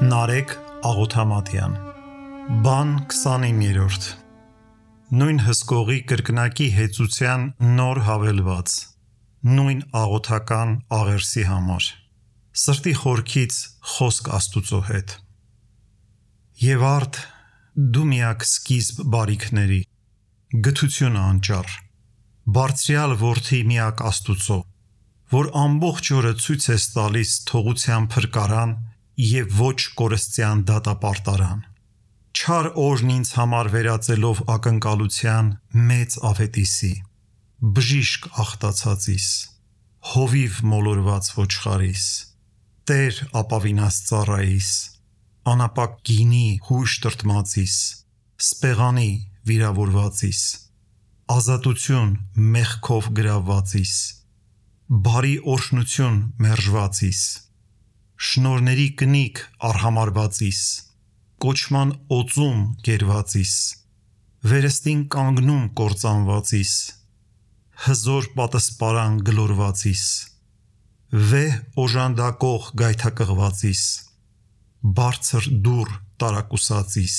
Նարեկ Աղոթամատյան Բան 29-րդ Նույն հսկողի կրկնակի հեծության նոր հավելված Նույն աղոթական աղերսի համար Սրտի խորքից խոսք Աստուծո հետ Եվ արդ դու միակ սկիզբ բարիքների Գթությունը անճար Բարձրյալ որդի միակ Աստուծո Որ ամբողջ օրը ցույց ես տալիս թողության փրկարան և ոչ կորստյան դատապարտարան Չար օրն ինձ համար վերածելով ակնկալության մեծ աղետիսի Բժիշկ աղտացածիս Հովիվ մոլորված ոչխարիս Տեր ապավինած ծառայիս Անապակ գինի հույժ տրտմածիս Սպեղանի վիրավորվածիս Ազատություն մեղքով գրավվածիս Բարի օրհնություն մերժվածիս Շնորհների կնիկ արհամարհվածիս Կոչման օծում գերվածիս Վերստին կանգնում կործանվածիս Հզոր պատսպարան գլորվածիս Վեհ օժանդակող գայթակղվածիս Բարձր դուռ տարակուսածիս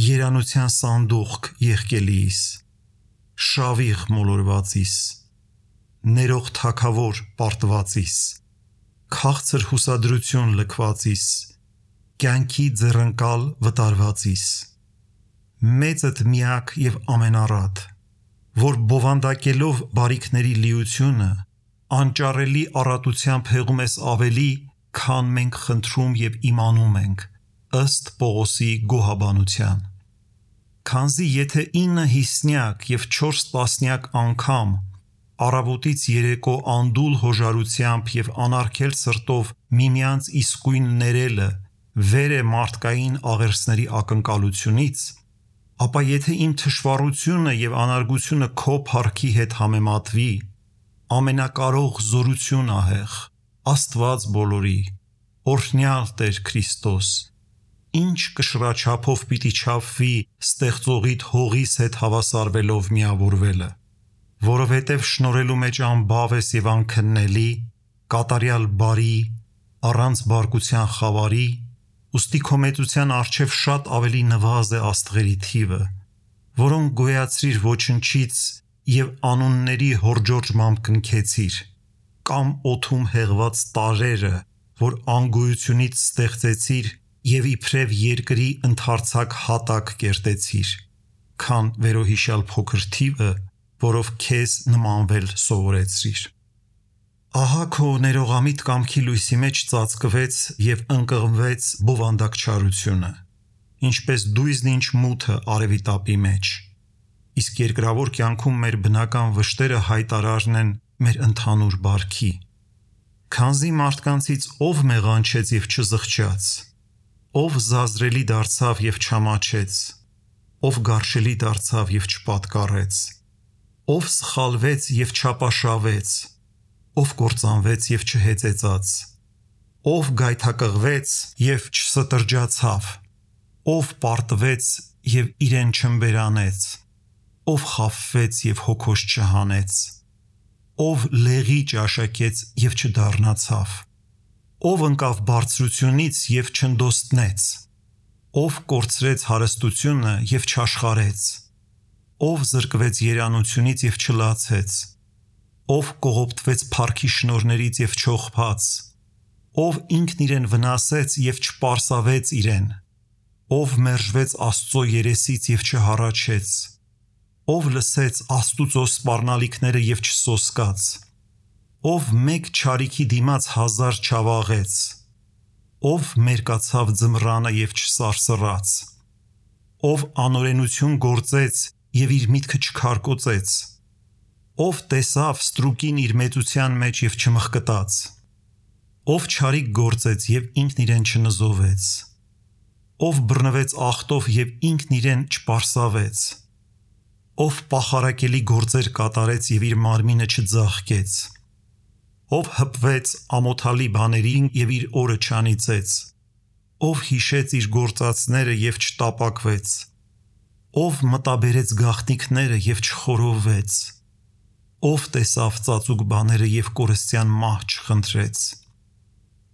Երանության սանդուղք եղկելիս Շավիղ մոլորվածիս Ներող թագավոր պարտվածիս Քաղցր հուսադրություն լքվածիս Կյանքի ձեռնկալ վտարվածիս Մեծդ միակ և ամենառատ Որ բովանդակելով բարիքների լիությունը Անճարելի առատությամբ հեղում ես ավելի Քան մենք խնդրում և իմանում ենք Ըստ Պողոսի գոհաբանության Քանզի եթե 9 հիսնյակ և 4 տասնյակ անգամ Առավոտից երեկո անդուլ հոժարությամբ և անարգել սրտով միմյանց իսկույն ներելը վեր է մարդկային աղերսների ակնկալությունից, ապա եթե իմ թշվառությունը և անարգությունը քո փառքի հետ համեմատվի, ամենակարող զորություն ահեղ, Աստված բոլորի, օրհնյալ Տեր Քրիստոս, ինչ կշռաչափով պիտի չափվի ստեղծողիդ հողիս հետ հավասարվելով միավորվելը, որովհետև շնորհելու մեջ անբավ ես և անքննելի, կատարյալ բարի, առանց բարկության խավարի, ուստի քո մեծության առջև շատ ավելի նվազ է աստղերի թիվը, որոնք գոյացրիր ոչնչից և անունների հորջորջմամբ կնքեցիր, կամ օդում հեղված տարրերը, որ անգոյությունից ստեղծեցիր և իբրև երկրի ընդարձակ հատակ կերտեցիր, քան վերոհիշյալ փոքր թիվը, որով քեզ նմանվել սովորեցրիր։ Ահա քո ներողամիտ կամքի լույսի մեջ ծածկվեց և ընկղմվեց բովանդակչարությունը, ինչպես դույզն ինչ մութը արևի տապի մեջ, իսկ երկրավոր կյանքում մեր բնական վշտերը հայտարարն են մեր ընդհանուր բարքի։ Քանզի մարդկանցից ով մեղանչեց և չզղջաց, ով զազրելի դարձավ և չամաչեց, ով գարշելի դարձավ և չպատկառեց, ով սխալվեց և չապաշավեց, ով կործանվեց և չհեծեծաց, ով գայթակղվեց և չստրջացավ, ով պարտվեց և իրեն չըմբերանեց, ով խաբվեց և հոգոս չհանեց, ով լեղի ճաշակեց և չդառնացավ, ով ընկավ բարձրությունից և չընդոստնեց, ով կորցրեց հարստությունը և չաշխարեց, ով զրկվեց երանությունից և չլացեց, ով կողոպտվեց փառքի շնորհներից և չողբաց, ով ինքն իրեն վնասեց և չպարսավեց իրեն, ով մերժվեց Աստծո երեսից և չհառաչեց, ով լսեց Աստուծո սպառնալիքները և չսոսկաց, ով մեկ չարիքի դիմաց 1000 չավաղեց, ով մերկացավ ձմռանը և չսարսռաց, ով անօրենություն գործեց և իր միտքը չքարկոծեց, ով տեսավ ստրուկին իր մեծության մեջ և չմխկտաց, ով չարիք գործեց և ինքն իրեն չնզովեց, ով բռնվեց ախտով և ինքն իրեն չպարսավեց, ով պախարակելի գործեր կատարեց և իր մարմինը չձաղկեց, ով հպվեց ամոթալի բաներին և իր օրը չանիծեց, ով հիշեց իր գործածները և չտապակվեց, ով մտաբերեց գաղտնիքները և չխորովվեց, ով տեսավ ծածուկ բաները և կորստյան մահ չխնդրեց,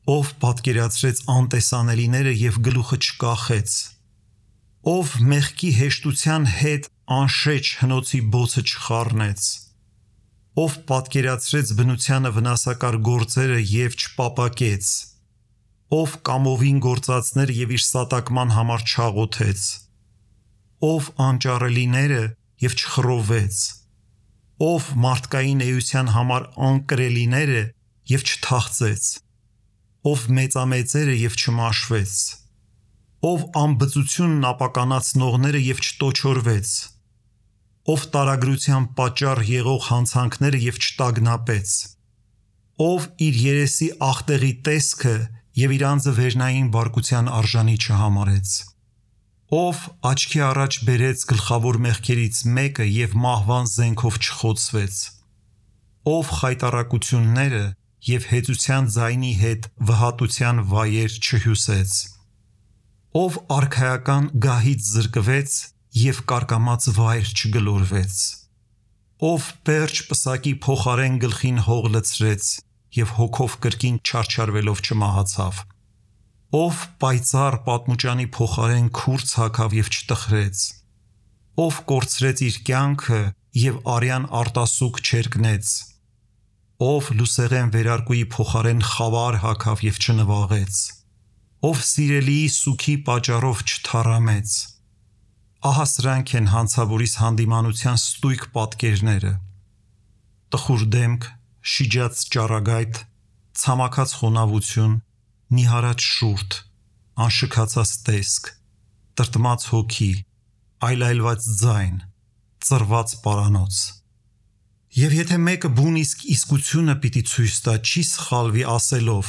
ով պատկերացրեց անտեսանելիները և գլուխը չկախեց, ով մեղքի հեշտության հետ անշեջ հնոցի բոցը չխառնեց, ով պատկերացրեց բնությանը վնասակար գործերը և չպապակեց, ով կամովին գործածներ և իր սատակման համար չաղոթեց, ով անճարելիները և չխռովեց, ով մարդկային էության համար անկրելիները և չթախծեց, ով մեծամեծերը և չմաշվեց, ով անբծությունն ապականացնողները և չտոչորվեց, ով տարագրության պատճառ եղող հանցանքները և չտագնապեց, ով իր երեսի ախտեղի տեսքը և իր անձը վերնային բարկության արժանի չհամարեց, ով աչքի առաջ բերեց գլխավոր մեղքերից մեկը և մահվան զենքով չխոցվեց, ով խայտառակությունները և հեծության ձայնի հետ վհատության վայեր չհյուսեց, ով արքայական գահից զրկվեց և կարկամած վայր չգլորվեց, ով պերճ պսակի փոխարեն գլխին հող լցրեց և հոգով կրկին չարչարվելով չմահացավ, ով պայծառ պատմուճանի փոխարեն քուրձ հագավ և չտխրեց, ով կորցրեց իր կյանքը և արյան արտասուք չերկնեց, ով լուսեղեն վերարկուի փոխարեն խավար հագավ և չնվաղեց, ով սիրելիի սուգի պատճառով չթառամեց, ահա սրանք են հանցավորիս հանդիմանության ստույգ պատկերները. տխուր դեմք, շիջած ճառագայթ, ցամաքած խոնավություն, նիհարած շուրթ, անշքացած տեսք, տրտմած հոգի, այլայլված ձայն, ծռված պարանոց: Եվ եթե մեկը բուն իսկությունը պիտի ցույց տա, չի սխալվի ասելով.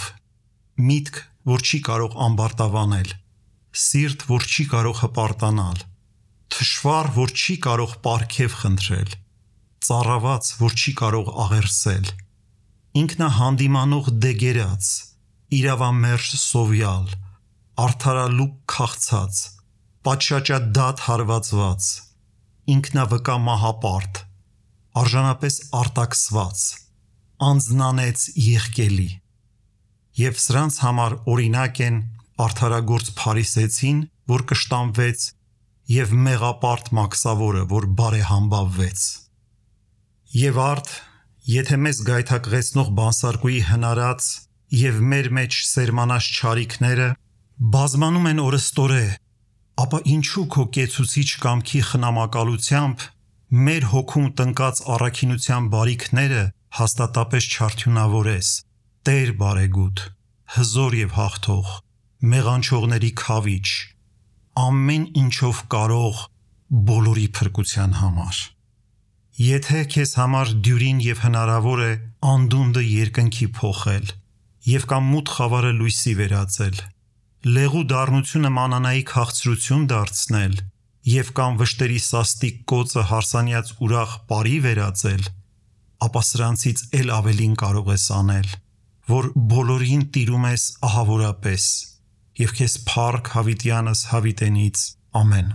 միտք, որ չի կարող ամբարտավանել, սիրտ, որ չի կարող հպարտանալ, թշվառ, որ չի կարող պարգև խնդրել, ծառաված, որ չի կարող աղերսել, ինքնահանդիմանող դեգերած, իրավամերժ սովյալ, արդարալուկ քաղցած, պատշաճադատ հարվածված, ինքնավկա մահապարտ, արժանապես արտաքսված, անձնանեց եղկելի: Եվ սրանց համար օրինակ են արդարագործ փարիսեցին, որ կշտամվեց, և մեղապարտ մաքսավորը, որ բարեհամբավվեց: Եվ արդ, եթե մեզ գայթակղեցնող բանսարկուի հնարած և մեր մեջ սերմանած չարիքները բազմանում են օրըստորե, ապա ինչու քո կեցուցիչ կամքի խնամակալությամբ մեր հոգում տնկած առաքինության բարիքները հաստատապես չարդյունավորես, Տեր բարեգութ, հզոր և հաղթող, մեղանչողների քավիչ, ամեն ինչով կարող բոլորի փրկության համար: Եթե քեզ համար դյուրին և հնարավոր է անդունդը երկնքի փոխել և կամ մութ խավարը լույսի վերածել, լեղու դառնությունը մանանայի քաղցրություն դարձնել և կամ վշտերի սաստիկ կոծը հարսանյաց ուրախ պարի վերածել, ապա սրանցից էլ ավելին կարող ես անել, որ բոլորին տիրում ես ահավորապես և քեզ փառք հավիտյանս հավիտենից, ամեն: